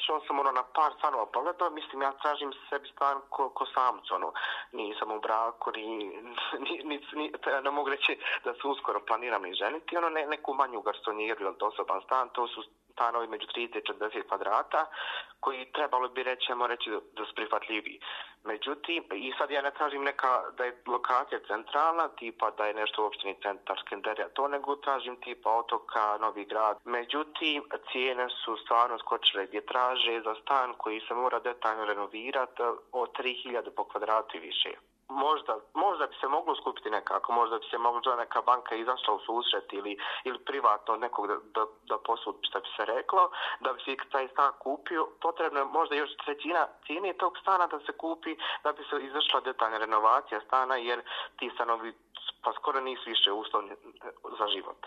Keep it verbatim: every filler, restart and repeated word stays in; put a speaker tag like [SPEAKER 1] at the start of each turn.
[SPEAKER 1] išao sam ono na par stanova pogledao, mislim ja tražim sebi stan ko, ko samcu, ono, nisam u braku, ni, ni, ni, ni ne mogu reći da se uskoro planiram ni ženiti, ono ne, neku manju garsonijeru ili osoban stan, to su stanovi među trideset i četrdeset kvadrata, koji trebalo bi reći, ajmo reći da su prihvatljiviji. Međutim, i sad ja ne tražim neka da je lokacija centralna, tipa da je nešto u opštini centar Skenderija, to nego tražim tipa Otoka, Novi Grad. Međutim, cijene su stvarno skočile gdje traže za stan koji se mora detaljno renovirati od tri hiljade po kvadratu i više. Možda, možda bi se moglo skupiti nekako, možda bi se mogla neka banka izašla u susret ili, ili privatno od nekog da, da, da posudi, što bi se reklo, da bi se taj stan kupio. Potrebno je možda još trećina cijene tog stana da se kupi, da bi se izašla detaljna renovacija stana, jer ti stanovi pa skoro nisu više uslovni za život.